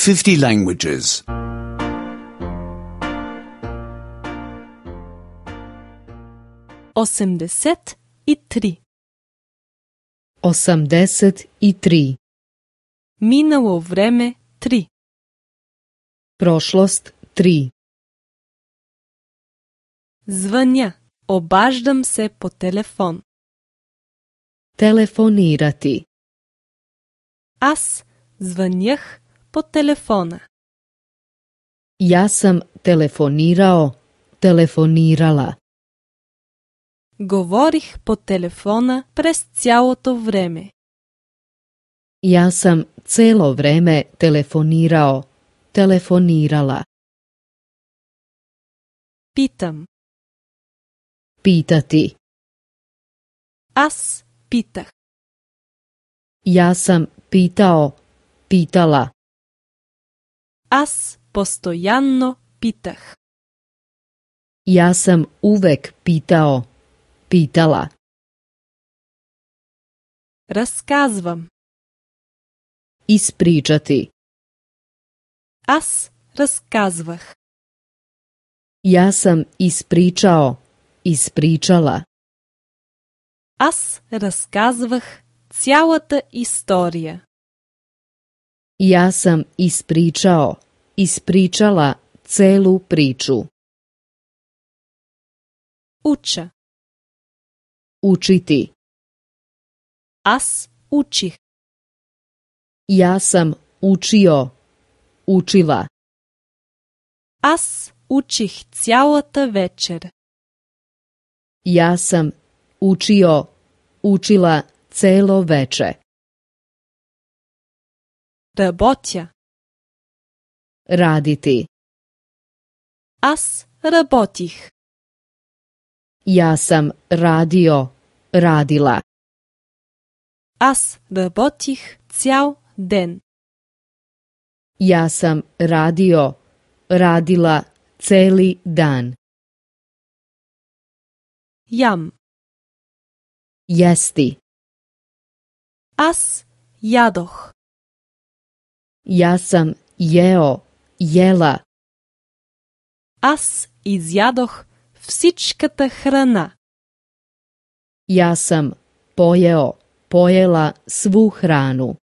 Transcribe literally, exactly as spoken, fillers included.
fifty languages. osemdeset i tri. Osamdeset i tri. Minalo vreme tri. Prošlost tri. Звъня. Обаждам се по телефон. Telefonirati. Аз звънях по телефона. Ja sam telefonirao, telefonirala. Говорих по телефона през цялото време. Ja sam celo vreme telefonirao, telefonirala. Питам. Pitati. Аз питах. Ja sam pitao, pitala. Аз постоянно питах. Ja sam uvek pitao, pitala. Разказвам. Ispričati. Аз разказвах. Ja sam ispričao, ispričala. Аз разказвах цялата история. Ja sam ispričao, ispričala celu priču. Уча. Učiti. Аз учих. Ja sam učio, učila. Аз учих цялата вечер. Ja sam učio, učila celo veče. Работя. Raditi. Аз работих. Ja sam radio, radila. Аз работих цял ден. Ja sam radio, radila celi dan. Ям. Jesti. Аз ядох. Ja sam jeo, jela. Аз изядох всичката храна. Ja sam pojeo, pojela svu hranu.